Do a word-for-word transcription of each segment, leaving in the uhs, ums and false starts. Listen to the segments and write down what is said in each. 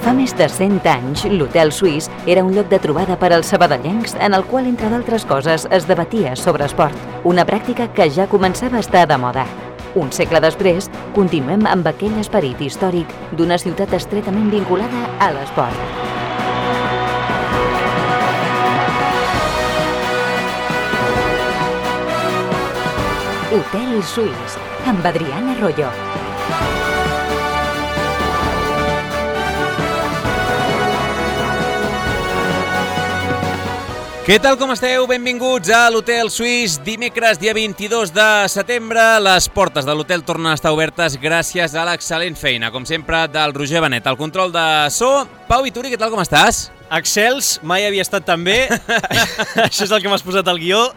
Fa més de cent anys, l'Hotel Suís era un lloc de trobada per als sabadellencs en el qual, entre d'altres coses, es debatia sobre esport, una pràctica que ja començava a estar de moda. Un segle després, continuem amb aquell esperit històric d'una ciutat estretament vinculada a l'esport. Hotel Suís, amb Adriana Arroyo. Què tal, com esteu? Benvinguts a l'Hotel Suís. Dimecres, dia vint-i-dos de setembre, les portes de l'hotel tornen a estar obertes gràcies a l'excel·lent feina, com sempre, del Roger Benet. El control de so. Pau Vituri, què tal, com estàs? Excels, mai havia estat tan bé. Això és el que m'has posat al guió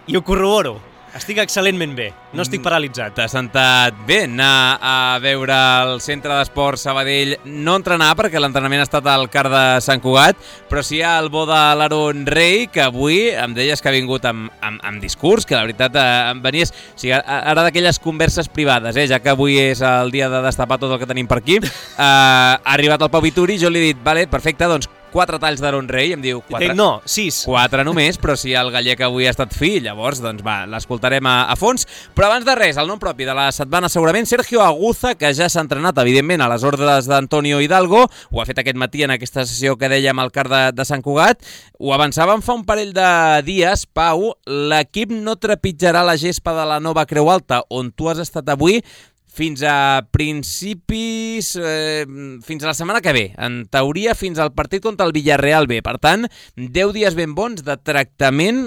i ho corroboro. Estic excel·lentment bé, no estic paralitzat. T'ha sentat bé anar a veure el Centre d'Esport Sabadell, no entrenar perquè l'entrenament ha estat al Car de Sant Cugat, però sí al bo de l'Aaron Rey, que avui em deies que ha vingut amb, amb, amb discurs, que la veritat eh, em venies... O sigui, ara d'aquelles converses privades, eh, ja que avui és el dia de destapar tot el que tenim per aquí, eh, ha arribat el Pau Vituri, jo li he dit, vale, perfecte, doncs quatre talls d'Aaron Rey, em diu... Quatre, no, sis. Quatre només, però si el gallec avui ha estat fi, llavors, doncs va, l'escoltarem a, a fons. Però abans de res, el nom propi de la setmana segurament, Sergio Aguza, que ja s'ha entrenat, evidentment, a les ordres d'Antonio Hidalgo, ho ha fet aquest matí en aquesta sessió que dèiem al Car de, de Sant Cugat, ho avançàvem fa un parell de dies, Pau, l'equip no trepitjarà la gespa de la nova Creu Alta, on tu has estat avui, fins a principis, eh, fins a la setmana que ve. En teoria, fins al partit contra el Villarreal B. Per tant, deu dies ben bons de tractament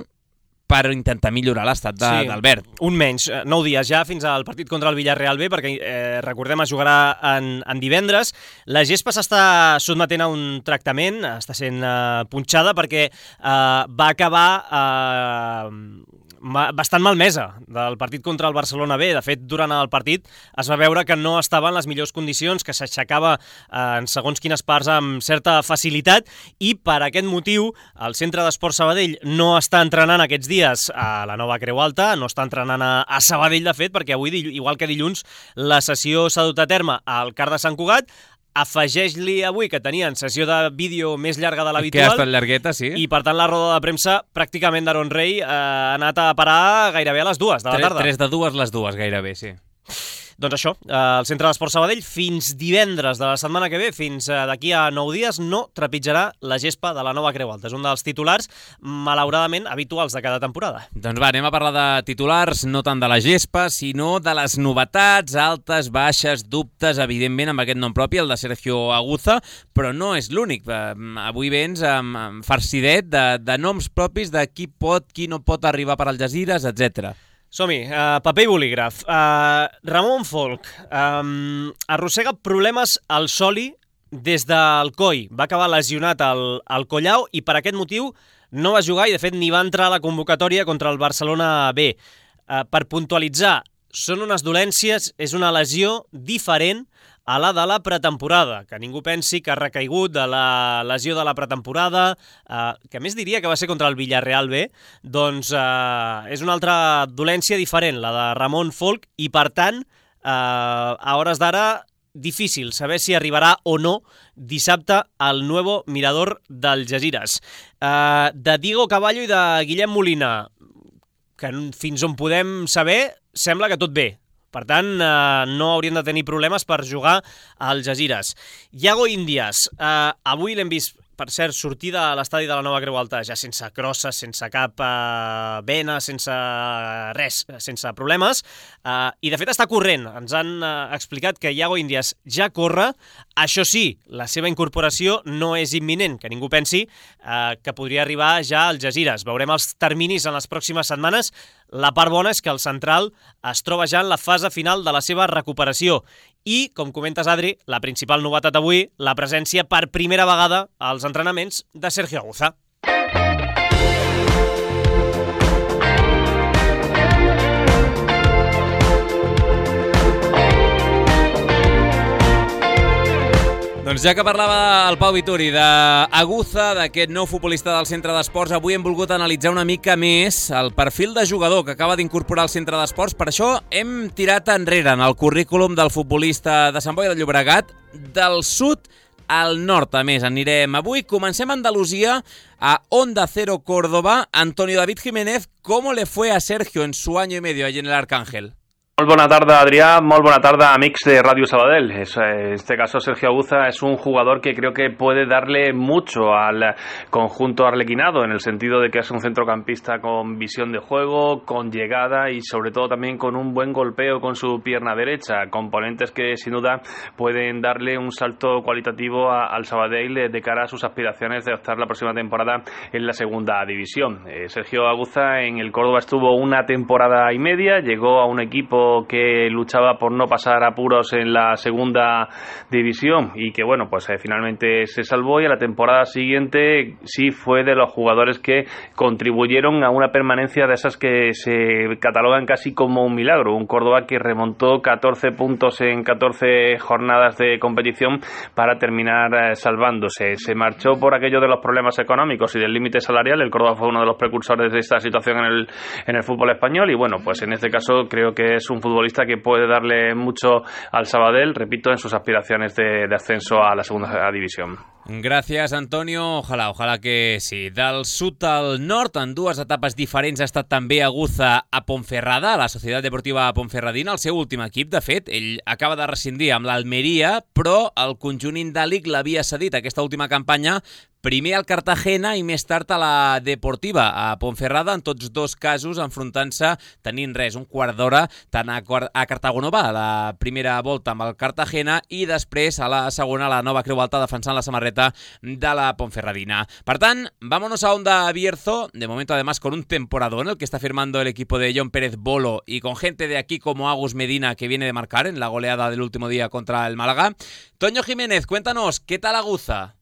per intentar millorar l'estat de, sí, d'Albert. Un menys, nou dies ja fins al partit contra el Villarreal B, perquè eh, recordem, es jugarà en, en divendres. La gespa s'està sotmetent a un tractament, està sent eh, punxada perquè eh, va acabar... Eh, bastant malmesa del partit contra el Barcelona B. De fet, durant el partit es va veure que no estava en les millors condicions, que s'aixecava en segons quines parts amb certa facilitat, i per aquest motiu el Centre d'Esport Sabadell no està entrenant aquests dies a la nova Creu Alta, no està entrenant a, a Sabadell, de fet, perquè avui, igual que dilluns, la sessió s'ha dut a terme al Car de Sant Cugat. Afegeix-li avui que tenien sessió de vídeo més llarga de l'habitual. Que ha estat llargueta, sí. I, per tant, la roda de premsa pràcticament d'Aaron Rey eh, ha anat a parar gairebé a les dues de la tarda. Tres de dues, les dues, gairebé, sí. Doncs això, eh, el Centre d'Esport Sabadell fins divendres de la setmana que ve, fins eh, d'aquí a nou dies, no trepitjarà la gespa de la nova Creu Alta. És un dels titulars, malauradament, habituals de cada temporada. Doncs va, anem a parlar de titulars, no tant de la gespa, sinó de les novetats, altes, baixes, dubtes, evidentment, amb aquest nom propi, el de Sergio Aguza, però no és l'únic. Avui vens amb, amb farcidet de, de noms propis de qui pot, qui no pot arribar per Algesires, etcètera. Som-hi, uh, paper i bolígraf. Uh, Ramon Folk um, arrossega problemes al soli des del coll. Va acabar lesionat al, al collau i per aquest motiu no va jugar i de fet ni va entrar a la convocatòria contra el Barcelona B. Uh, per puntualitzar, són unes dolències, és una lesió diferent a la de la pretemporada, que ningú pensi que ha recaigut de la lesió de la pretemporada, eh, que més diria que va ser contra el Villarreal B, doncs eh, és una altra dolència diferent, la de Ramon Folk, i per tant, eh, a hores d'ara, difícil saber si arribarà o no dissabte al Nuevo Mirador d'Algesires. Eh, de Diego Caballo i de Guillem Molina, que fins on podem saber, sembla que tot bé. Per tant, eh, no haurien de tenir problemes per jugar a Algesires. Iago Índias, eh, avui l'hem vist, per cert, sortir de l'estadi de la nova Creu Alta ja sense crosses, sense cap eh, vena, sense res, sense problemes, eh, i de fet està corrent. Ens han eh, explicat que Iago Índias ja corre. Això sí, la seva incorporació no és imminent, que ningú pensi eh, que podria arribar ja a Algesires. Veurem els terminis en les pròximes setmanes. La part bona és que el central es troba ja en la fase final de la seva recuperació. I, com comentes, Adri, la principal novetat avui, la presència per primera vegada als entrenaments de Sergio Aguza. Doncs ja que parlava el Pau Vituri d'Aguza, d'aquest nou futbolista del Centre d'Esports, avui hem volgut analitzar una mica més el perfil de jugador que acaba d'incorporar al Centre d'Esports. Per això hem tirat enrere en el currículum del futbolista de Sant Boi de Llobregat, del sud al nord. A més, anirem avui. Comencem a Andalusia, a Onda Cero Córdoba. Antonio David Jiménez, ¿cómo le fue a Sergio en su año y medio allí en el Arcángel? Molt bona tarda, Adrià. Molt bona tarda, amics de Radio Sabadell. Es, en este caso, Sergio Aguza es un jugador que creo que puede darle mucho al conjunto arlequinado, en el sentido de que es un centrocampista con visión de juego, con llegada y sobre todo también con un buen golpeo con su pierna derecha. Componentes que sin duda pueden darle un salto cualitativo a, al Sabadell de cara a sus aspiraciones de optar la próxima temporada en la segunda división. Eh, Sergio Aguza en el Córdoba estuvo una temporada y media, llegó a un equipo que luchaba por no pasar apuros en la segunda división y que bueno, pues eh, finalmente se salvó, y a la temporada siguiente sí fue de los jugadores que contribuyeron a una permanencia de esas que se catalogan casi como un milagro. Un Córdoba que remontó catorce puntos en catorce jornadas de competición para terminar eh, salvándose. Se marchó por aquello de los problemas económicos y del límite salarial. El Córdoba fue uno de los precursores de esta situación en el, en el fútbol español, y bueno, pues en este caso creo que es un un futbolista que puede darle mucho al Sabadell, repito, en sus aspiraciones de, de ascenso a la segunda división. Gràcies, Antonio. Ojalà, ojalà que sí. Del sud al nord, en dues etapes diferents, ha estat també Aguza a Ponferrada, a la Societat Deportiva Ponferradina, el seu últim equip. De fet, ell acaba de rescindir amb l'Almeria, però el conjunt indàlic l'havia cedit aquesta última campanya primer al Cartagena i més tard a la Deportiva, a Ponferrada, en tots dos casos enfrontant-se, tenint res, un quart d'hora, tant a, a Cartagonova, a la primera volta amb el Cartagena, i després a la segona, a la Nova Creu Alta, defensant la samarreta de la Ponferradina. Per tant, vámonos a Onda Bierzo, de momento además con un temporadón el que está firmando el equipo de John Pérez Bolo y con gente de aquí como Agus Medina, que viene de marcar en la goleada del último día contra el Málaga. Toño Jiménez, cuéntanos, ¿qué tal Aguza?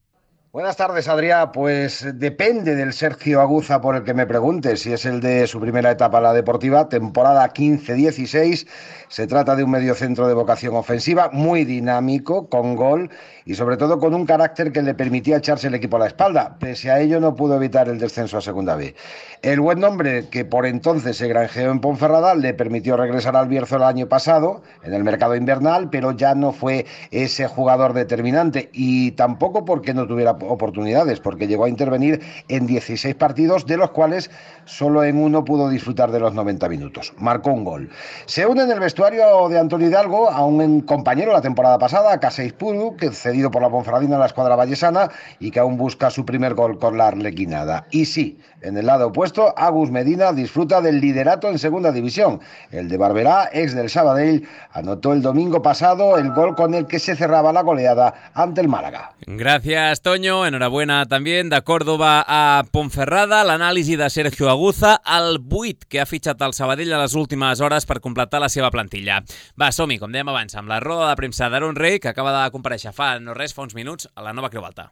Buenas tardes, Adrià. Pues depende del Sergio Aguza por el que me preguntes. Si es el de su primera etapa a la Deportiva, temporada quince dieciséis. Se trata de un mediocentro de vocación ofensiva, muy dinámico, con gol y sobre todo con un carácter que le permitía echarse el equipo a la espalda. Pese a ello no pudo evitar el descenso a Segunda B. El buen nombre que por entonces se granjeó en Ponferrada le permitió regresar al Bierzo el año pasado, en el mercado invernal, pero ya no fue ese jugador determinante, y tampoco porque no tuviera oportunidades, porque llegó a intervenir en dieciséis partidos, de los cuales solo en uno pudo disfrutar de los noventa minutos. Marcó un gol. Se une en el vestuario de Antonio Hidalgo a un compañero la temporada pasada, Caseix Puru, que cedido por la Ponferradina a la escuadra vallesana y que aún busca su primer gol con la arlequinada. Y sí, en el lado opuesto, Agus Medina disfruta del liderato en segunda división. El de Barberá, ex del Sabadell, anotó el domingo pasado el gol con el que se cerraba la goleada ante el Málaga. Gracias, Toño. Enhorabuena también de Córdoba a Ponferrada. L'anàlisi de Sergio Aguza, el vuit que ha fitxat el Sabadell a les últimes hores per completar la seva plantilla. Va, som-hi, com dèiem abans, amb la roda de premsa d'Aaron Rey, que acaba de comparèixer fa no res, fa uns minuts, a la Nova Creu Alta.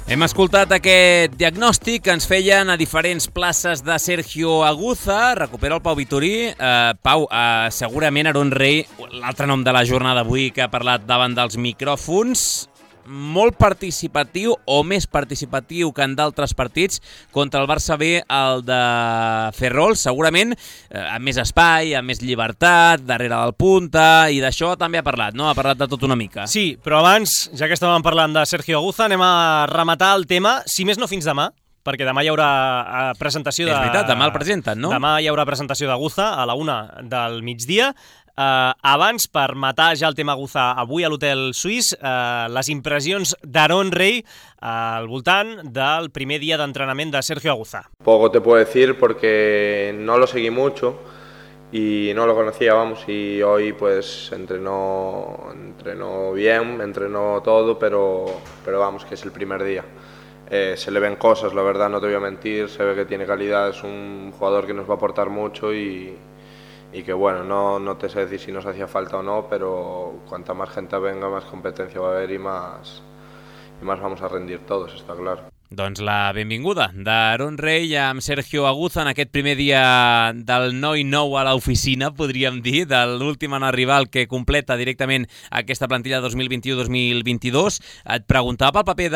Hem escoltat aquest diagnòstic que ens feien a diferents places de Sergio Aguza. Recupera el Pau Vitorí. Uh, Pau, uh, segurament Aaron Rey, l'altre nom de la jornada avui que ha parlat davant dels micròfons, molt participatiu o més participatiu que en d'altres partits. Contra el Barça B, el de Ferrol, segurament eh, amb més espai, amb més llibertat, darrere del punta, i d'això també ha parlat, no? Ha parlat de tot una mica. Sí, però abans, ja que estàvem parlant de Sergio Aguza, anem a rematar el tema, si més no fins demà, perquè demà hi haurà presentació de... És veritat, demà el presenten, no? Demà hi haurà presentació d'Aguza a la una del migdia. Uh, abans, per matar ja el tema Aguza avui a l'Hotel Suís, uh, les impressions d'Aaron Rey uh, al voltant del primer dia d'entrenament de Sergio Aguza. Poco te puedo decir porque no lo seguí mucho y no lo conocía, vamos, y hoy pues entrenó, entrenó bien, entrenó todo, pero, pero vamos, que es el primer día. Eh, se le ven cosas, la verdad, no te voy a mentir, se ve que tiene calidad, es un jugador que nos va a aportar mucho y... y que bueno, no, no te sé decir si nos hacía falta o no, pero cuanta más gente venga, más competencia va a haber y más, y más vamos a rendir todos, está claro. Doncs la benvinguda d'Aaron Rey amb Sergio Aguza en aquest primer dia del noi nou a l'oficina, podríem dir, de l'últim en arribar, el que completa directament aquesta plantilla dos mil vint-i-u dos mil vint-i-dos. Et preguntava pel paper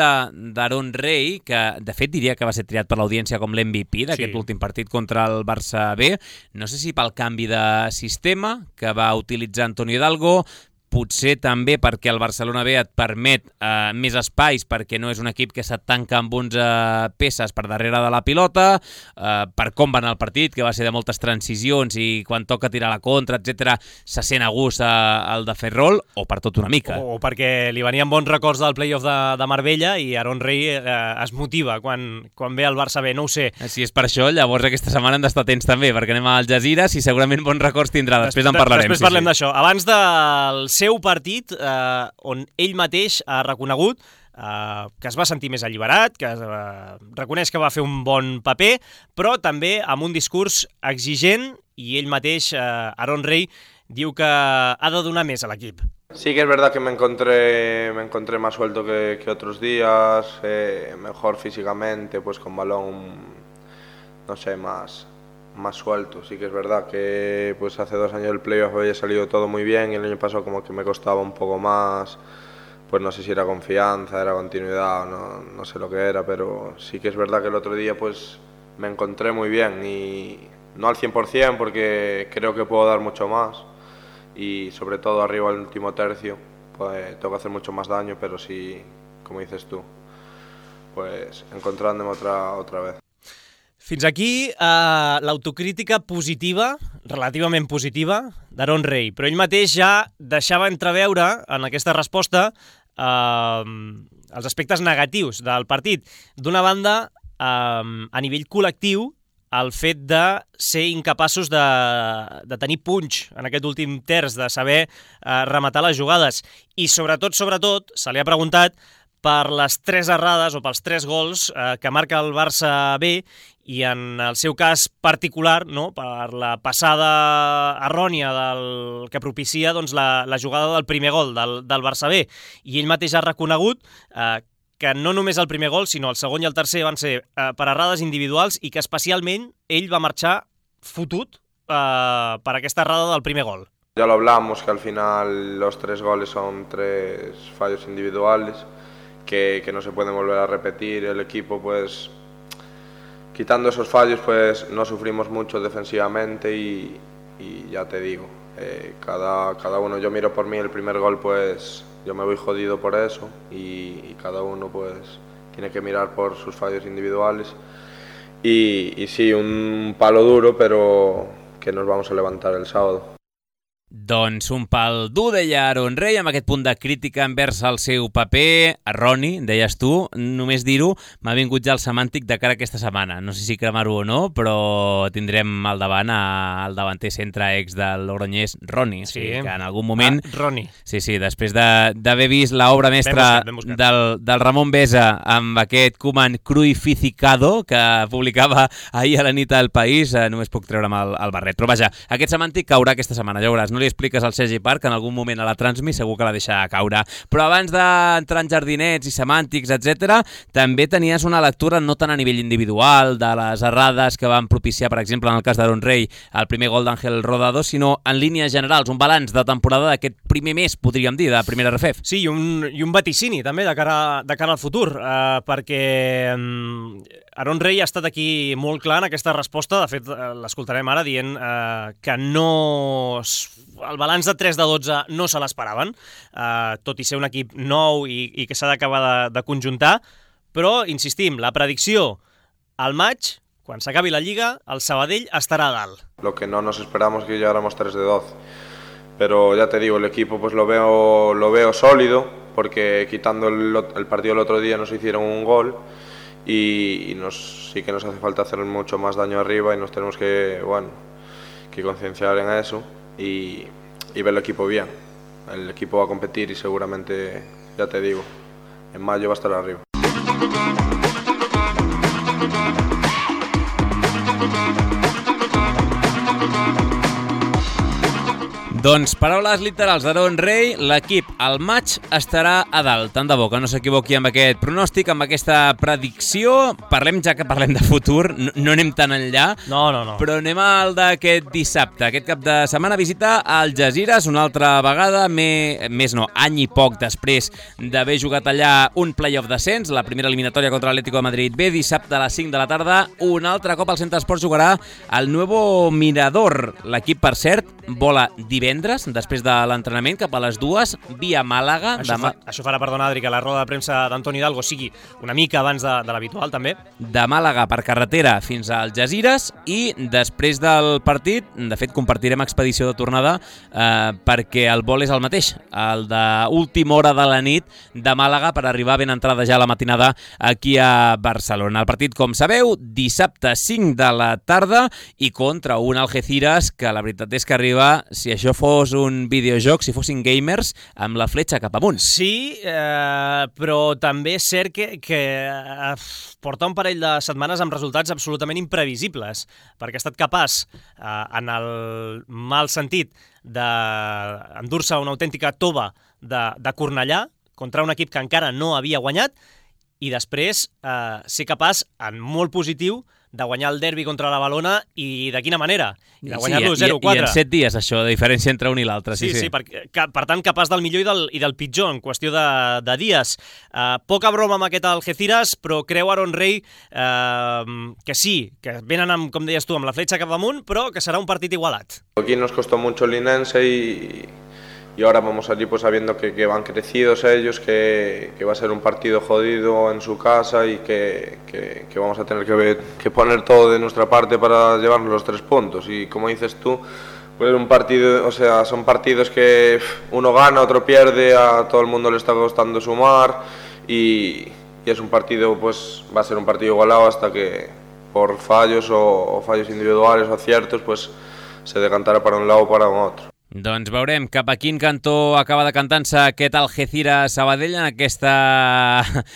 d'Aaron Rey, que de fet diria que va ser triat per l'audiència com l'M V P d'aquest sí. últim partit contra el Barça B. No sé si pel canvi de sistema que va utilitzar Antonio Hidalgo, potser també perquè el Barcelona B et permet eh, més espais perquè no és un equip que se't tanca amb onze peces per darrere de la pilota, eh, per com va anar el partit, que va ser de moltes transicions i quan toca tirar la contra, etcètera, se sent a gust el de Ferrol, o per tot una mica. O, o perquè li venien bons records del playoff de, de Marbella i Aaron Rey eh, es motiva quan, quan ve el Barça B, no ho sé. Si és per això, llavors aquesta setmana hem d'estar atents també, perquè anem a Al Jazeera i segurament bons records tindrà. Després en parlarem. Després parlem sí, sí. d'això. Abans del seu partit eh, on ell mateix ha reconegut eh, que es va sentir més alliberat, que eh, reconeix que va fer un bon paper, però també amb un discurs exigent i ell mateix, eh, Aaron Rey, diu que ha de donar més a l'equip. Sí que es verdad que me encontré, me encontré más suelto que, que otros días, eh, mejor físicamente, pues con balón, no sé, más... más suelto. Sí que es verdad que pues hace dos años el playoff había salido todo muy bien y el año pasado como que me costaba un poco más, pues no sé si era confianza, era continuidad, no, no sé lo que era, pero sí que es verdad que el otro día pues me encontré muy bien y no al cien por cien porque creo que puedo dar mucho más y sobre todo arriba el último tercio pues tengo que hacer mucho más daño, pero sí, como dices tú, pues encontrándome otra, otra vez. Fins aquí eh, l'autocrítica positiva, relativament positiva, d'Aaron Rey, però ell mateix ja deixava entreveure en aquesta resposta eh, els aspectes negatius del partit. D'una banda, eh, a nivell col·lectiu, el fet de ser incapaços de, de tenir punx en aquest últim terç, de saber eh, rematar les jugades. I sobretot, sobretot, se li ha preguntat per les tres errades o pels tres gols eh, que marca el Barça B i en el seu cas particular, no, per la passada errònia del, que propicia doncs, la, la jugada del primer gol del, del Barça B. I ell mateix ha reconegut eh, que no només el primer gol, sinó el segon i el tercer van ser eh, per errades individuals i que especialment ell va marxar fotut eh, per aquesta errada del primer gol. Ya lo hablamos, que al final los tres goles son tres fallos individuales, Que, que no se pueden volver a repetir. El equipo, pues, quitando esos fallos, pues no sufrimos mucho defensivamente y, y ya te digo, eh, cada, cada uno, yo miro por mí el primer gol, pues yo me voy jodido por eso y, y cada uno, pues, tiene que mirar por sus fallos individuales y, y sí, un palo duro, pero que nos vamos a levantar el sábado. Doncs un pal dur, deia Aaron Rey, amb aquest punt de crítica envers el seu paper. Erroni, deies tu, només dir-ho, m'ha vingut ja el semàntic de cara a aquesta setmana. No sé si cremar-ho o no, però tindrem al davant al davanter centre ex del Logroñés, Roni. Sí, o sigui, que en algun moment... Ah, Roni. Sí, sí, després d'haver vist l'obra mestra ben buscat, ben buscat. del, del Ramon Besa amb aquest Koeman cruificado que publicava ahir a la nit al País, eh, només puc treure'm el, el barret. Però vaja, aquest semàntic caurà aquesta setmana, ja veuràs. No li expliques al Sergi Parc, en algun moment a la Transmi segur que la deixa caure. Però abans d'entrar en jardinets i semàntics, etcètera, també tenies una lectura no tant a nivell individual de les errades que van propiciar, per exemple, en el cas d'Aaron Rey, el primer gol d'Ángel Rodado, sinó en línies generals, un balanç de temporada d'aquest primer mes, podríem dir, de primera R F E F. Sí, i un, i un vaticini també de cara, de cara al futur, eh, perquè eh, Aaron Rey ha estat aquí molt clar en aquesta resposta. De fet, l'escoltarem ara dient eh, que no... el balanç de tres de dotze no se l'esperaven, eh, tot i ser un equip nou i, i que s'ha d'acabar de, de conjuntar, però, insistim, la predicció al maig, quan s'acabi la Lliga, el Sabadell estarà a dalt. Lo que no nos esperamos que llegáramos tres de doce, pero ya te digo, el equipo pues lo veo, lo veo sólido, porque quitando el, el partido el otro día nos hicieron un gol, y, y nos, sí que nos hace falta hacer mucho más daño arriba y nos tenemos que, bueno, que concienciar en eso y, y ver el equipo bien. El equipo va a competir y seguramente, ya te digo, en mayo va a estar arriba. Doncs paraules literals d'Aaron Rey, l'equip al maig estarà a dalt. Tant de bo que no s'equivoqui amb aquest pronòstic, amb aquesta predicció. Parlem, ja que parlem de futur, no, no anem tan enllà, no, no, no. però anem al d'aquest dissabte. Aquest cap de setmana visita al Algesires una altra vegada, més, més no, any i poc després d'haver jugat allà un play-off descens, la primera eliminatòria contra l'Atlético de Madrid B, dissabte a les cinc de la tarda. Un altre cop al Centre Esports jugarà el Nuevo Mirador. L'equip, per cert, vola divendres, després de l'entrenament, cap a les dues, via Màlaga. Això, demà... fa, això farà, perdona, Adri, que la roda de premsa d'Antoni Hidalgo sigui una mica abans de, de l'habitual, també. De Màlaga per carretera fins a Algesires i després del partit, de fet, compartirem expedició de tornada eh, perquè el vol és el mateix, el d'última hora de la nit de Màlaga per arribar ben entrada ja a la matinada aquí a Barcelona. El partit, com sabeu, dissabte cinc de la tarda i contra un Algeciras que la veritat és que arriba, si això fos un videojoc, si fossin gamers, amb la fletxa cap amunt. Sí, eh, però també és cert que, que eh, porta un parell de setmanes amb resultats absolutament imprevisibles, perquè ha estat capaç, eh, en el mal sentit, d'endur-se una autèntica tova de, de Cornellà contra un equip que encara no havia guanyat i després eh, ser capaç, en molt positiu, de guanyar el derbi contra la Valona i de quina manera? I de guanyar-lo sí, zero quatre. I en set dies, això, de diferència entre un i l'altre. Sí, sí, sí, sí. per, que, per tant, capaç del millor i del, i del pitjor en qüestió de, de dies. Uh, poca broma amb aquest Algeciras, però creu Aaron Rey uh, que sí, que venen, amb, com deies tu, amb la fletxa cap amunt, però que serà un partit igualat. Aquí nos costó mucho el Linense y... Y ahora vamos allí pues sabiendo que, que van crecidos ellos, que, que va a ser un partido jodido en su casa y que, que, que vamos a tener que, ver, que poner todo de nuestra parte para llevarnos los tres puntos. Y como dices tú, pues un partido, o sea, son partidos que uno gana, otro pierde, a todo el mundo le está costando sumar y, y es un partido, pues va a ser un partido igualado hasta que por fallos o, o fallos individuales o aciertos, pues se decantará para un lado o para otro. Doncs veurem cap a quin cantó acaba decantant-se aquest Algeciras-Sabadell en aquesta,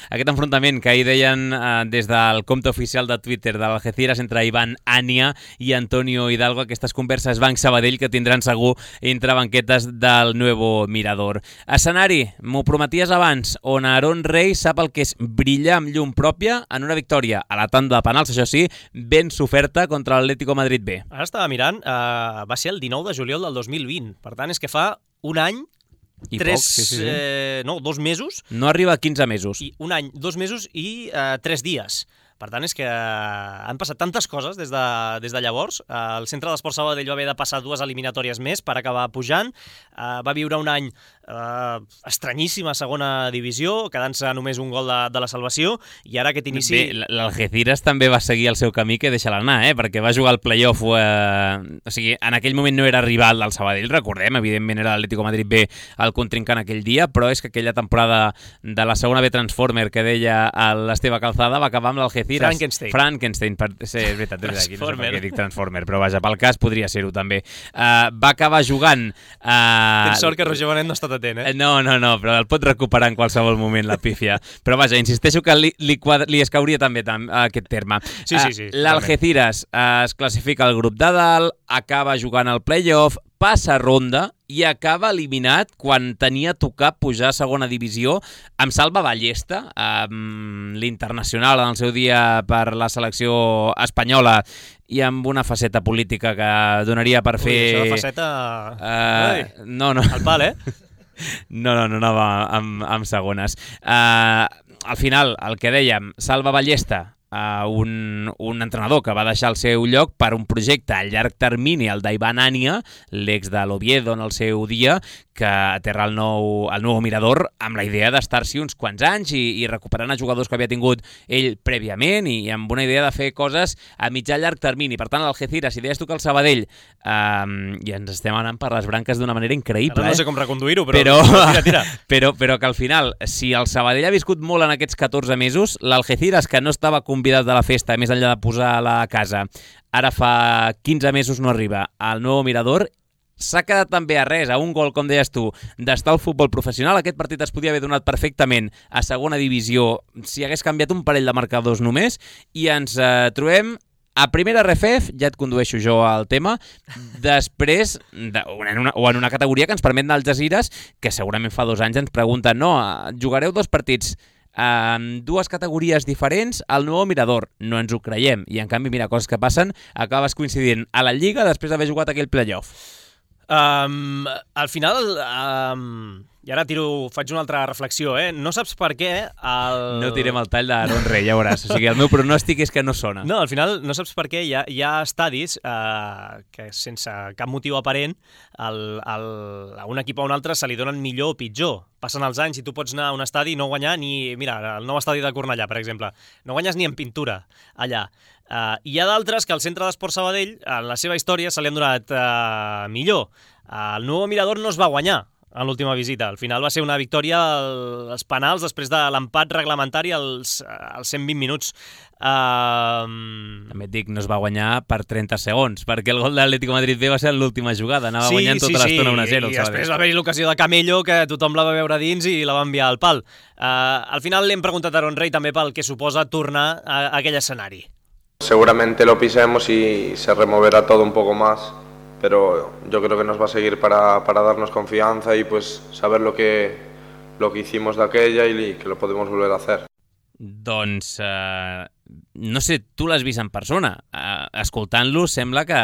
aquest enfrontament que ahir deien eh, des del compte oficial de Twitter de l'Algeciras entre Ivan Ania i Antonio Hidalgo, aquestes converses Banc-Sabadell que tindran segur entre banquetes del Nuevo Mirador. Escenari, m'ho prometies abans, on Aaron Rey sap el que és brillar amb llum pròpia en una victòria a la tanda de penals, això sí, ben soferta contra l'Atlético Madrid B. Ara estava mirant, eh, va ser el dinou de juliol del dos mil vint. Per tant, és que fa un any, I tres, poc, sí, sí, sí. Eh, no, dos mesos. No arriba a quinze mesos. I un any, dos mesos i eh, tres dies. Per tant, és que han passat tantes coses des de, des de llavors. El Centre d'Esport Sabadell va haver de passar dues eliminatòries més per acabar pujant. Va viure un any eh, estranyíssim a segona divisió, quedant-se només un gol de, de la salvació, i ara aquest inici... Bé, l'Algeciras també va seguir el seu camí, que deixa-la anar, eh? Perquè va jugar al play-off, eh... o sigui, en aquell moment no era rival del Sabadell, recordem, evidentment era l'Atlético Madrid B el contrincant aquell dia, però és que aquella temporada de la segona B Transformer que deia l'Esteve Calzada va acabar amb l'Algeciras. Frankenstein. Frankenstein, per... sí, és veritat, és veritat, aquí no sé per què dic Transformer, però vaja, pel cas podria ser-ho també. Uh, va acabar jugant... Uh... Tens sort que Roger Bonet no ha estat atent, eh? No, no, no, però el pot recuperar en qualsevol moment, la pífia. Però vaja, insisteixo que li, li, quadra, li escauria també tam, aquest terme. Sí, sí, sí. Uh, L'Algeciras uh, es classifica al grup de dalt, acaba jugant al play-off, passa ronda i acaba eliminat quan tenia a tocar pujar a segona divisió amb Salva Ballesta, um, l'internacional en el seu dia per la selecció espanyola i amb una faceta política que donaria per fer... Ui, això de faceta... Uh, no, no. Al pal, eh? No, no, no anava amb, amb segones. Uh, al final, el que dèiem, Salva Ballesta, Uh, un, un entrenador que va deixar el seu lloc per un projecte a llarg termini, el d'Ivan Ania, l'ex de l'Oviedo en el seu dia, que aterra el nou, el nou Mirador amb la idea d'estar-s'hi uns quants anys i, i recuperant els jugadors que havia tingut ell prèviament i amb una idea de fer coses a mitjà llarg termini. Per tant, l'Algeciras, si deies tu que el Sabadell, um, i ens estem anant per les branques d'una manera increïble. Ara no sé eh? com reconduir-ho, però... Però, tira, tira. però, però que al final, si el Sabadell ha viscut molt en aquests catorze mesos, l'Algeciras, que no estava convidat de la festa, més enllà de posar a la casa, ara fa quinze mesos no arriba al nou Mirador, s'ha quedat també a res, a un gol, com deies tu, d'estar al futbol professional. Aquest partit es podia haver donat perfectament a segona divisió si hagués canviat un parell de marcadors només, i ens eh, trobem a primera R F F, ja et condueixo jo al tema, després, de, en una, o en una categoria que ens permet anar al Jazeeres, que segurament fa dos anys ens pregunten, no, jugareu dos partits amb dues categories diferents al nou Mirador. No ens ho creiem. I en canvi, mira, coses que passen, acabes coincidint a la Lliga després d'haver jugat aquell playoff. Um, al final, um, i ara tiro, faig una altra reflexió, eh? No saps per què el... No tirem el tall d'Aaron Rey, ja veuràs. O sigui, el meu pronòstic és que no sona. No, al final no saps per què hi ha, hi ha estadis eh, que sense cap motiu aparent el, el, a un equip o a un altre se li donen millor o pitjor. Passen els anys i tu pots anar a un estadi i no guanyar ni... Mira, el nou estadi de Cornellà, per exemple. No guanyes ni en pintura allà. Uh, hi ha d'altres que al Centre d'Esport Sabadell, en la seva història, se li han donat uh, millor. Uh, el nou Mirador no es va guanyar en l'última visita. Al final va ser una victòria als penals després de l'empat reglamentari als, als cent vint minuts. Uh... També et dic, no es va guanyar per trenta segons, perquè el gol de l'Atlético Madrid B va ser l'última jugada, anava sí, guanyant tota sí, l'estona sí. un a zero. I després va haver-hi l'ocasió de Camello, que tothom la va veure dins i la va enviar al pal. Uh, al final l'hem preguntat a Aaron Rey també pel que suposa tornar a, a aquell escenari. Seguramente lo pisemos y se removerá todo un poco más, pero yo creo que nos va a seguir para, para darnos confianza y pues saber lo que, lo que hicimos de aquella y que lo podemos volver a hacer. Doncs, eh, no sé, tu l'has vist en persona. Eh, escoltant-lo sembla que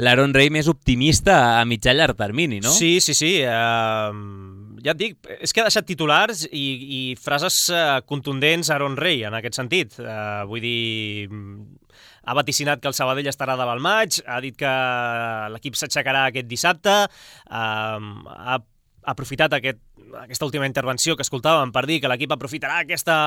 l'Aaron Rey més optimista a mitjà llarg termini, no? Sí, sí, sí. Uh, ja et dic, és que ha deixat titulars i, i frases uh, contundents a Aaron Rey en aquest sentit. Uh, vull dir... Ha vaticinat que el Sabadell estarà davant el maig, ha dit que l'equip s'aixecarà aquest dissabte, eh, ha aprofitat aquest, aquesta última intervenció que escoltàvem per dir que l'equip aprofitarà aquesta,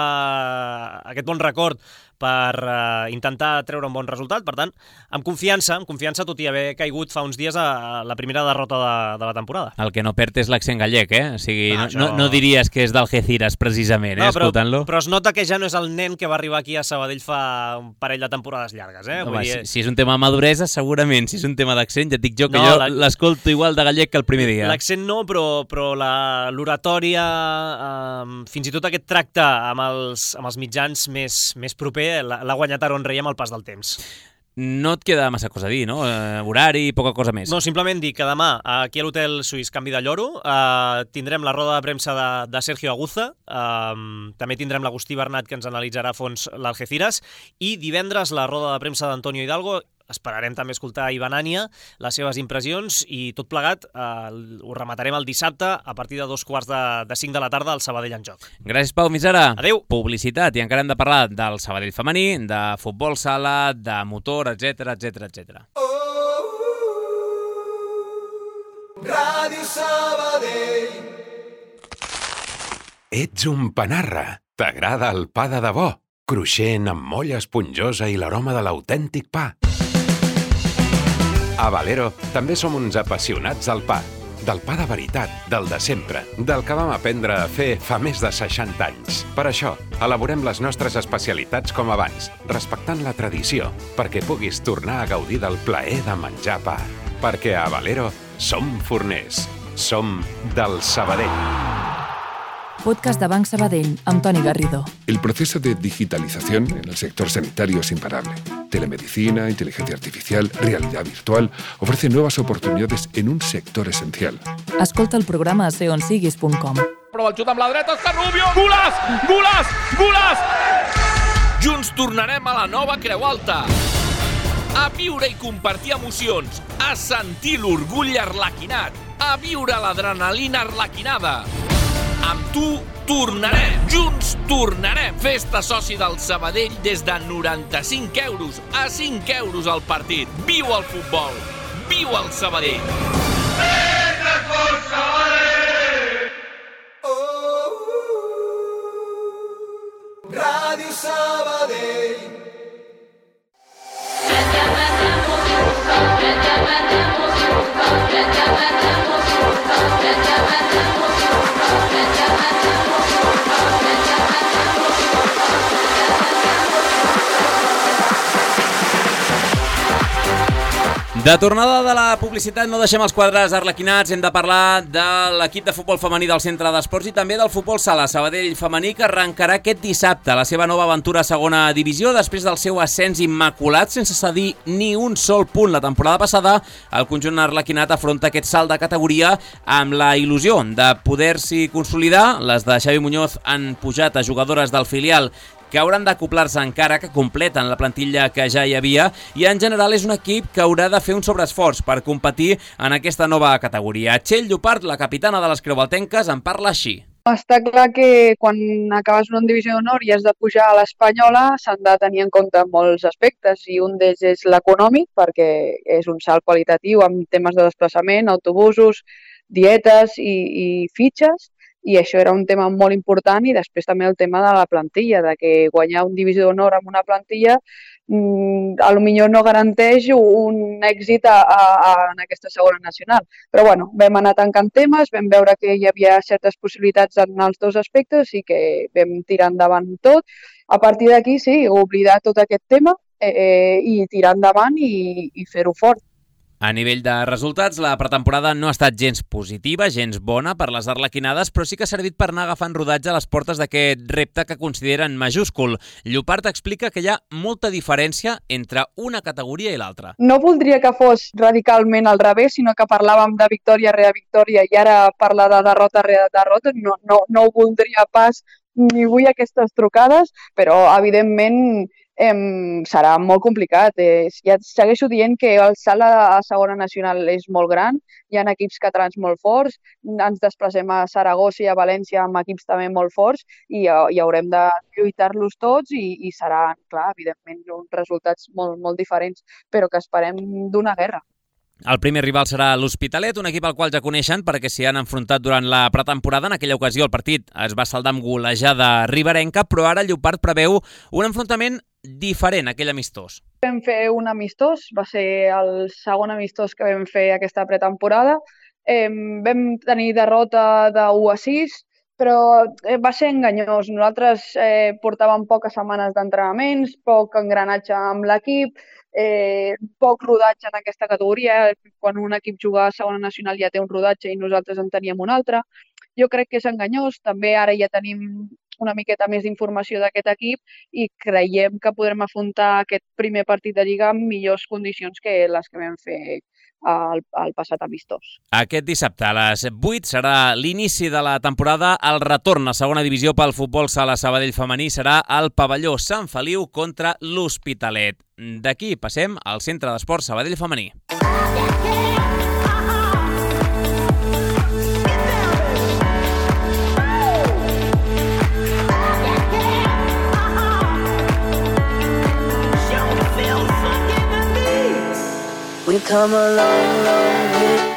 aquest bon record per uh, intentar treure un bon resultat. Per tant, amb confiança, amb confiança, tot i haver caigut fa uns dies a la primera derrota de, de la temporada. El que no perd és l'accent gallec, eh? O sigui, ah, no, això... no, no diries que és d'Algeciras, precisament, eh? No, però, escoltant-lo. Però es nota que ja no és el nen que va arribar aquí a Sabadell fa un parell de temporades llargues, eh? Home, Vull dir... si, si és un tema de maduresa, segurament. Si és un tema d'accent, ja et dic jo que no, jo la... l'escolto igual de gallec que el primer dia. L'accent no, però, però l'oratòria, eh, fins i tot aquest tracte amb els, amb els mitjans més, més proper, l'ha guanyat Aaron Rey amb el pas del temps. No et queda massa cosa a dir, no? Eh, horari, poca cosa més. No, simplement dir que demà aquí a l'Hotel Suís Canvi de Lloro eh, tindrem la roda de premsa de, de Sergio Aguza, eh, també tindrem l'Agustí Bernat que ens analitzarà a fons l'Algeciras i divendres la roda de premsa d'Antonio Hidalgo. Esperarem també escoltar Ivan Ania, les seves impressions i tot plegat eh, ho rematarem el dissabte a partir de dos quarts de, de cinc de la tarda al Sabadell en joc. Gràcies, Pau Misera. Adéu. Publicitat, i encara hem de parlar del Sabadell femení, de futbol sala, de motor, etcètera, etcètera, etcètera. Oh, Ràdio Sabadell. Ets un panarra. T'agrada el pa de debò? Cruixent, amb molla esponjosa i l'aroma de l'autèntic pa. A Valero també som uns apassionats del pa. Del pa de veritat, del de sempre, del que vam aprendre a fer fa més de seixanta anys. Per això, elaborem les nostres especialitats com abans, respectant la tradició, perquè puguis tornar a gaudir del plaer de menjar pa. Perquè a Valero som forners. Som del Sabadell. Podcast de Banc Sabadell, amb Toni Garrido. El proceso de digitalización en el sector sanitario es imparable. Telemedicina, inteligencia artificial, realidad virtual ofrecen nuevas oportunidades en un sector esencial. Escolta el programa a ser on siguis punt com. Prova el xut amb la dreta, Òscar Rubio! Golaç! Golaç! Golaç! Junts tornarem a la nova Creu Alta. A viure i compartir emocions. A sentir l'orgull arlequinat. A viure l'adrenalina arlequinada. Amb tu tornarem, junts tornarem. Festa soci del Sabadell des de noranta-cinc euros a cinc euros al partit. Viu el futbol, viu el Sabadell. Més esport Sabadell! Oh, Ràdio Sabadell. De tornada de la publicitat no deixem els quadres arlequinats, hem de parlar de l'equip de futbol femení del Centre d'Esports i també del futbol sala Sabadell femení, que arrencarà aquest dissabte la seva nova aventura a segona divisió després del seu ascens immaculat sense cedir ni un sol punt la temporada passada. El conjunt arlequinat afronta aquest salt de categoria amb la il·lusió de poder-s'hi consolidar. Les de Xavi Muñoz han pujat a jugadores del filial que hauran d'acoplar-se encara, que completen la plantilla que ja hi havia, i en general és un equip que haurà de fer un sobreesforç per competir en aquesta nova categoria. Txell Llopart, la capitana de les creualtenques, en parla així. Està clar que quan acabes una divisió d'honor i has de pujar a l'Espanyola s'han de tenir en compte molts aspectes, i un d'ells és l'econòmic, perquè és un salt qualitatiu amb temes de desplaçament, autobusos, dietes i, i fitxes, i això era un tema molt important. I després també el tema de la plantilla, de que guanyar un divisió d'honor amb una plantilla mmm, a lo millor no garanteix un èxit a, a, a, en aquesta segona nacional. Però bueno, vam anar tancant temes, vam veure que hi havia certes possibilitats en els dos aspectes i que vam tirar endavant tot. A partir d'aquí, sí, oblidar tot aquest tema eh, i tirar endavant i, i fer-ho fort. A nivell de resultats, la pretemporada no ha estat gens positiva, gens bona per les arlequinades, però sí que ha servit per anar agafant rodatge a les portes d'aquest repte que consideren majúscul. Llopart explica que hi ha molta diferència entre una categoria i l'altra. No voldria que fos radicalment al revés, sinó que parlàvem de victòria rere victòria i ara parlar de derrota rere derrota. No, no, no ho voldria pas, ni vull aquestes trucades, però evidentment Em, serà molt complicat. Eh, ja segueixo dient que el salt a segona nacional és molt gran, hi ha equips catalans molt forts, ens desplacem a Saragossa i a València amb equips també molt forts i, i haurem de lluitar-los tots i, i seran, clar, evidentment, uns resultats molt, molt diferents, però que esperem d'una guerra. El primer rival serà l'Hospitalet, un equip al qual ja coneixen perquè s'hi han enfrontat durant la pretemporada. En aquella ocasió el partit es va saldar amb golejada riberenca, però ara Llopart preveu un enfrontament diferent, aquell amistós. Vam fer un amistós, va ser el segon amistós que vam fer aquesta pretemporada. Eh, vam tenir derrota de u a sis, però va ser enganyós. Nosaltres eh, portàvem poques setmanes d'entrenaments, poc engranatge amb l'equip, eh, poc rodatge en aquesta categoria. Quan un equip juga a segona nacional ja té un rodatge i nosaltres en teníem un altre. Jo crec que és enganyós. També ara ja tenim una miqueta més d'informació d'aquest equip i creiem que podrem afrontar aquest primer partit de Lliga amb millors condicions que les que vam fer al, al passat amistós. Aquest dissabte a les vuit serà l'inici de la temporada. El retorn a segona divisió pel futbol sala Sabadell femení serà al pavelló Sant Feliu contra l'Hospitalet. D'aquí passem al Centre d'Esports Sabadell femení.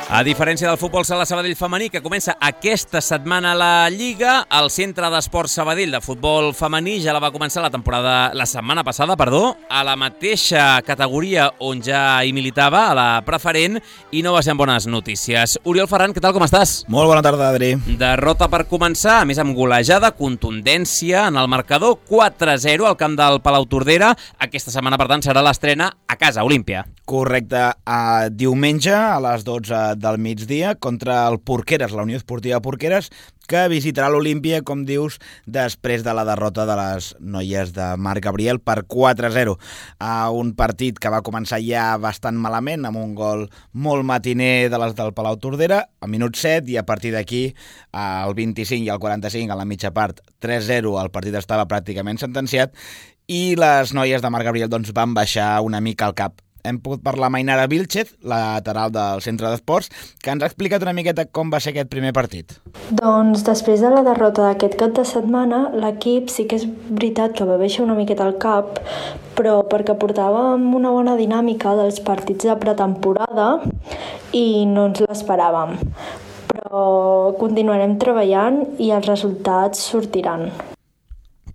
A diferència del futbol sala Sabadell femení, que comença aquesta setmana a la Lliga, el Centre d'Esports Sabadell de futbol femení ja la va començar la temporada la setmana passada, perdó, a la mateixa categoria on ja hi militava, a la preferent, i no va ser amb bones notícies. Oriol Ferran, què tal, com estàs? Molt bona tarda, Adri. Derrota per començar, a més amb golejada, contundència en el marcador, quatre a zero al camp del Palau Tordera. Aquesta setmana, per tant, serà l'estrena a casa, Olímpia. Correcte, a diumenge a les dotze del migdia contra el Porqueres, la Unió Esportiva Porqueres, que visitarà l'Olímpia, com dius, després de la derrota de les noies de Marc Gabriel per quatre a zero. A un partit que va començar ja bastant malament, amb un gol molt matiner de les del Palau Tordera, a minut set, i a partir d'aquí, al vint-i-cinc i al quaranta-cinc, a la mitja part, tres a zero, el partit estava pràcticament sentenciat, i les noies de Marc Gabriel doncs, van baixar una mica al cap. Hem pogut parlar amb Ainara Vilchez, lateral del Centre d'Esports, que ens ha explicat una miqueta com va ser aquest primer partit. Doncs després de la derrota d'aquest cap de setmana, l'equip sí que és veritat que va baixar una miqueta al cap, però perquè portàvem una bona dinàmica dels partits de pretemporada i no ens l'esperàvem. Però continuarem treballant i els resultats sortiran.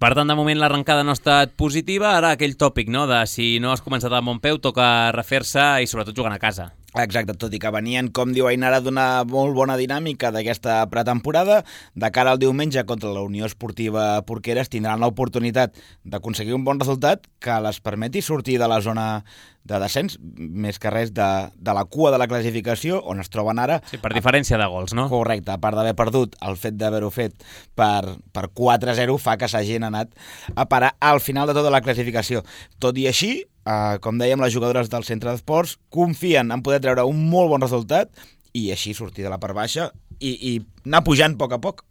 Per tant, de moment l'arrencada no ha estat positiva. Ara aquell tòpic, no?, de si no has començat amb bon peu, toca refer-se i sobretot jugant a casa. Exacte, tot i que venien, com diu Ainara, d'una molt bona dinàmica d'aquesta pretemporada, de cara al diumenge contra la Unió Esportiva Porqueres tindran l'oportunitat d'aconseguir un bon resultat que les permeti sortir de la zona de descens, més que res de, de la cua de la classificació, on es troben ara. Sí, per diferència de gols, no? Correcte, a part d'haver perdut, el fet d'haver-ho fet per, per quatre a zero fa que s'hagin anat a parar al final de tota la classificació. Tot i així, Uh, com dèiem, les jugadores del centre d'esports confien en poder treure un molt bon resultat i així sortir de la part baixa i, i anar pujant a poc a poc.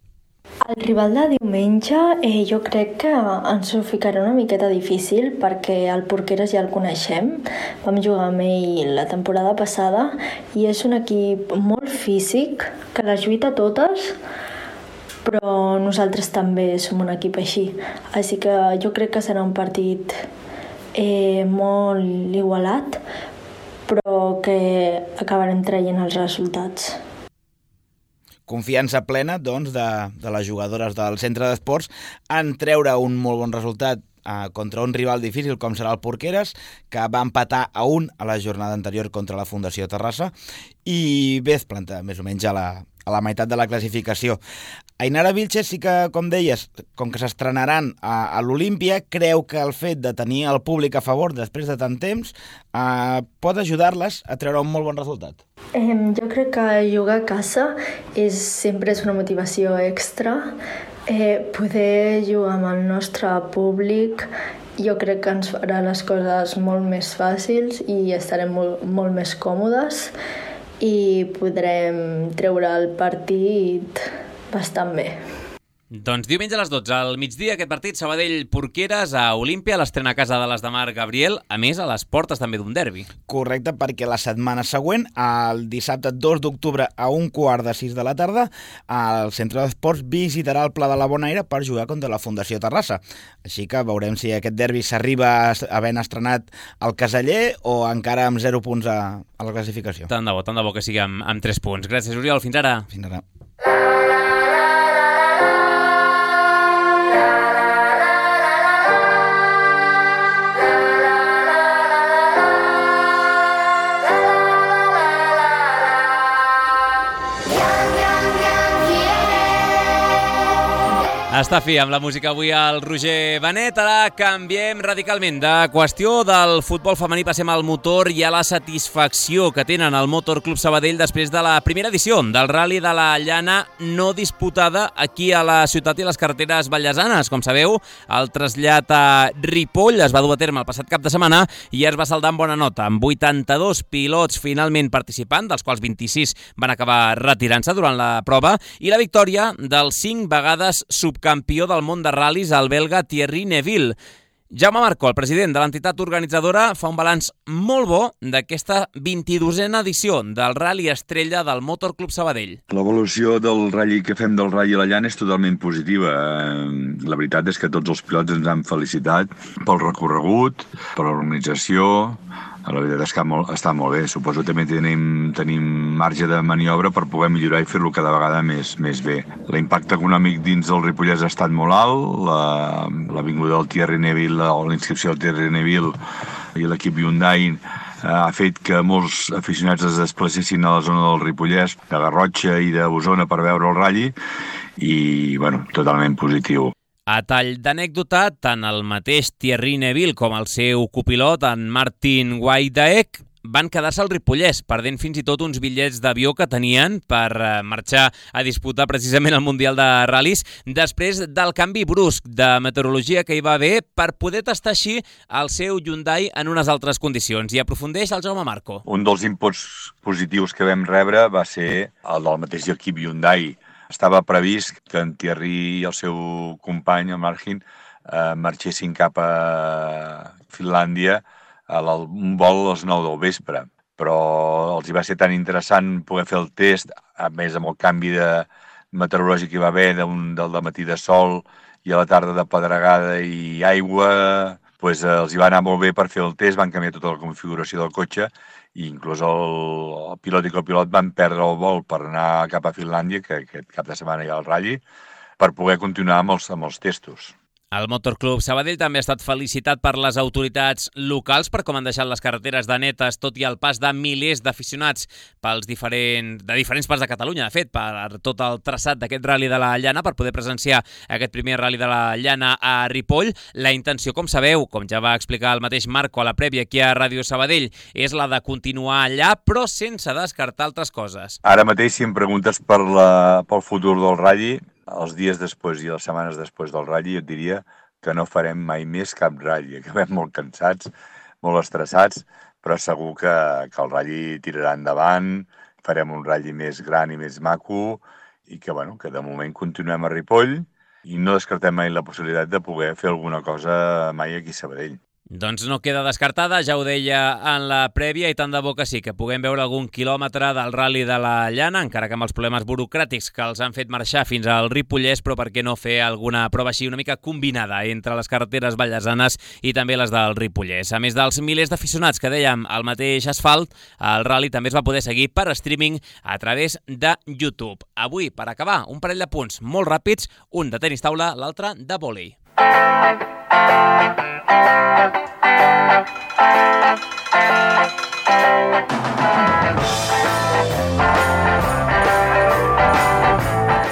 El rival de diumenge eh, jo crec que ens ho ficarà una miqueta difícil perquè el Porqueres ja el coneixem. Vam jugar amb ell la temporada passada i és un equip molt físic que les lluita totes, però nosaltres també som un equip així. Així que jo crec que serà un partit Eh, molt igualat, però que acabarem traient els resultats. Confiança plena, doncs, de, de les jugadores del centre d'esports en treure un molt bon resultat eh, contra un rival difícil com serà el Porqueres, que va empatar a un a la jornada anterior contra la Fundació Terrassa i bé es planta més o menys a la, a la meitat de la classificació. Ainara Vilches sí que, com deies, com que s'estrenaran a, a l'Olímpia, creu que el fet de tenir el públic a favor després de tant temps eh, pot ajudar-les a treure un molt bon resultat. Eh, jo crec que jugar a casa és, sempre és una motivació extra. Eh, poder jugar amb el nostre públic jo crec que ens farà les coses molt més fàcils i estarem molt, molt més còmodes i podrem treure el partit bastant bé. Doncs diumenge a les dotze, al migdia, aquest partit Sabadell-Porqueres a Olímpia, l'estrena a casa de les de Marc Gabriel, a més a les portes també d'un derbi. Correcte, perquè la setmana següent, el dissabte dos d'octubre a un quart de sis de la tarda, el Centre d'Esports visitarà el Pla de la Bonaire per jugar contra la Fundació Terrassa. Així que veurem si aquest derbi s'arriba havent estrenat al Caseller o encara amb zero punts a, a la classificació. Tant de bo, tant de bo que sigui amb, amb tres punts. Gràcies, Oriol. Fins ara. Fins ara. Està fi amb la música avui al Roger Benet. Ara canviem radicalment de qüestió. Del futbol femení passem al motor i a la satisfacció que tenen el Motor Club Sabadell després de la primera edició del Rally de la Llana no disputada aquí a la ciutat i a les carreteres vallesanes. Com sabeu, el trasllat a Ripoll es va dur a terme el passat cap de setmana i es va saldar amb bona nota, amb vuitanta-dos pilots finalment participant, dels quals vint-i-sis van acabar retirant-se durant la prova, i la victòria del cinc vegades subcampió campió del món de ral·lis, el belga Thierry Neuville. Jaume Marco, el president de l'entitat organitzadora, fa un balanç molt bo d'aquesta vint-i-dosena edició del Rally Estrella del Motor Club Sabadell. L'evolució del rally que fem del Rally a la Llana és totalment positiva. La veritat és que tots els pilots ens han felicitat pel recorregut, per l'organització. La veritat és que està molt bé. Suposo que també tenim, tenim marge de maniobra per poder millorar i fer-lo cada vegada més, més bé. L'impacte econòmic dins del Ripollès ha estat molt alt. La, la vinguda del Thierry Neuville o la inscripció del Thierry Neuville i l'equip Hyundai ha fet que molts aficionats es desplacessin a la zona del Ripollès, de Garrotxa i d'Osona per veure el ratll i, bueno, totalment positiu. A tall d'anècdota, tant el mateix Thierry Neuville com el seu copilot, en Martin Wajdaek, van quedar-se al Ripollès, perdent fins i tot uns bitllets d'avió que tenien per marxar a disputar precisament el Mundial de Ral·lis, després del canvi brusc de meteorologia que hi va haver per poder tastar així el seu Hyundai en unes altres condicions. I aprofundeix el Jaume Marco. Un dels inputs positius que vam rebre va ser el del mateix equip Hyundai. Estava previst que en Thierry i el seu company, el Martin, eh, marxessin cap a Finlàndia a un vol a les nou del vespre. Però els hi va ser tan interessant poder fer el test, a més amb el canvi de meteorològic que hi va haver d'un, del matí de sol i a la tarda de pedregada i aigua, doncs els hi va anar molt bé per fer el test, van canviar tota la configuració del cotxe i inclús el, el pilot i copilot van perdre el vol per anar cap a Finlàndia, que aquest cap de setmana hi ha el ratll, per poder continuar amb els, amb els testos. El Motorclub Sabadell també ha estat felicitat per les autoritats locals per com han deixat les carreteres de netes, tot i el pas de milers d'aficionats pels diferents, de diferents parts de Catalunya, de fet, per tot el traçat d'aquest Rally de la Llana, per poder presenciar aquest primer Rally de la Llana a Ripoll. La intenció, com sabeu, com ja va explicar el mateix Marco a la prèvia aquí a Ràdio Sabadell, és la de continuar allà, però sense descartar altres coses. Ara mateix, si em preguntes per la, pel futur del Rally, els dies després i les setmanes després del Rally, jo et diria que no farem mai més cap Rally. Acabem molt cansats, molt estressats, però segur que, que el Rally tirarà endavant, farem un Rally més gran i més maco i que, bueno, que de moment continuem a Ripoll i no descartem mai la possibilitat de poder fer alguna cosa mai aquí a Sabadell. Doncs no queda descartada, ja ho deia en la prèvia, i tant de bo que sí, que puguem veure algun quilòmetre del Rally de la Llana, encara que amb els problemes burocràtics que els han fet marxar fins al Ripollès, però per què no fer alguna prova així una mica combinada entre les carreteres vallesanes i també les del Ripollès. A més dels milers d'aficionats que dèiem al mateix asfalt, el Rally també es va poder seguir per streaming a través de YouTube. Avui, per acabar, un parell de punts molt ràpids, un de tenis taula, l'altre de vòlei.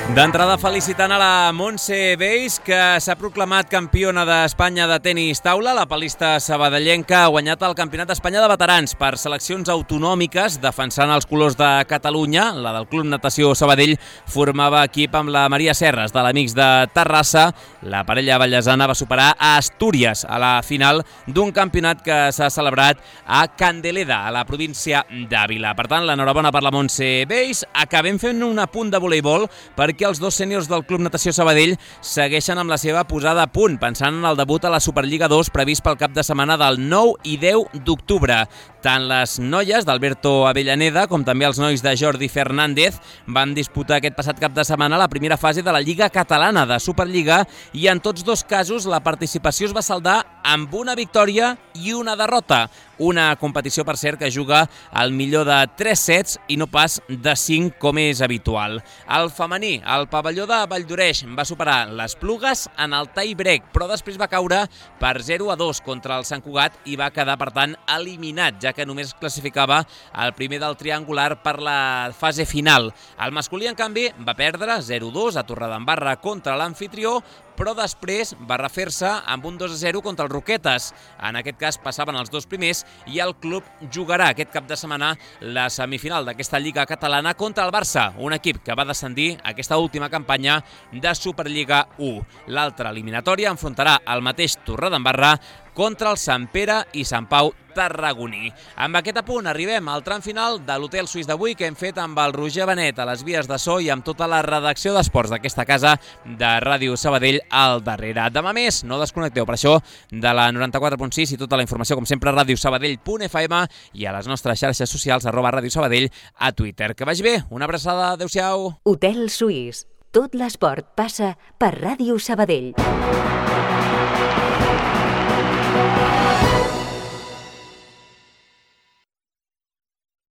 D'entrada felicitant a la Montse Beis, que s'ha proclamat campiona d'Espanya de tenis taula. La palista sabadellenca ha guanyat el Campionat d'Espanya de veterans per seleccions autonòmiques, defensant els colors de Catalunya. La del Club Natació Sabadell formava equip amb la Maria Serres, de l'Amics de Terrassa. La parella vallesana va superar a Astúries a la final d'un campionat que s'ha celebrat a Candeleda, a la província d'Àvila. Per tant, l'enhorabona per la Montse Beis. Acabem fent un apunt de voleibol perquè els dos sèniors del Club Natació Sabadell segueixen amb la seva posada a punt, pensant en el debut a la Superliga dos previst pel cap de setmana del nou i deu d'octubre. Tant les noies d'Alberto Avellaneda com també els nois de Jordi Fernández van disputar aquest passat cap de setmana la primera fase de la Lliga Catalana de Superliga, i en tots dos casos la participació es va saldar amb una victòria i una derrota. Una competició, per cert, que juga al millor de tres sets i no pas de cinc, com és habitual. El femení, el pavelló de Valldoreix, va superar les Plugues en el tie break, però després va caure per zero a dos contra el Sant Cugat i va quedar, per tant, eliminat, ja que només es classificava el primer del triangular per la fase final. El masculí, en canvi, va perdre zero a dos a Torredembarra contra l'anfitrió, però després va refer-se amb un dos a zero contra els Roquetes. En aquest cas passaven els dos primers i el club jugarà aquest cap de setmana la semifinal d'aquesta Lliga Catalana contra el Barça, un equip que va descendir aquesta última campanya de Superliga u. L'altra eliminatòria enfrontarà el mateix Torredembarra contra el Sant Pere i Sant Pau tarragoní. Amb aquest apunt arribem al tram final de l'Hotel Suís d'avui, que hem fet amb el Roger Benet a les vies de so i amb tota la redacció d'esports d'aquesta casa de Ràdio Sabadell al darrere. Demà més, no desconnecteu per això de la noranta-quatre punt sis i tota la informació, com sempre, a radiosabadell punt f m i a les nostres xarxes socials, arroba Ràdio Sabadell, a Twitter. Que vagi bé, una abraçada, adeu-siau. Hotel Suís. Tot l'esport passa per Ràdio Sabadell.